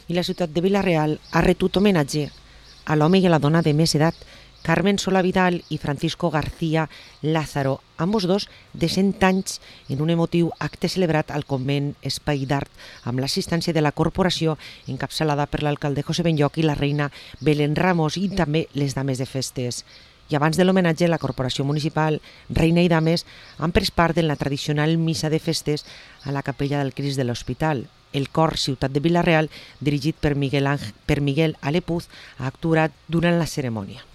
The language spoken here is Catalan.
I la ciutat de Vila-real ha retut homenatge a l'home i a la dona de més edat, Carmen Solà Vidal i Francisco García Lázaro, ambos dos de 100 anys, en un emotiu acte celebrat al convent Espai d'Art amb l'assistència de la corporació encapçalada per l'alcalde José Benlloch i la reina Belén Ramos i també les dames de festes. I abans de l'homenatge, la corporació municipal, reina i dames, han pres part en la tradicional missa de festes a la capella del Crist de l'Hospital. El cor Ciutat de Vila-real, dirigit per Miguel Alepuz, ha actuat durant la cerimònia.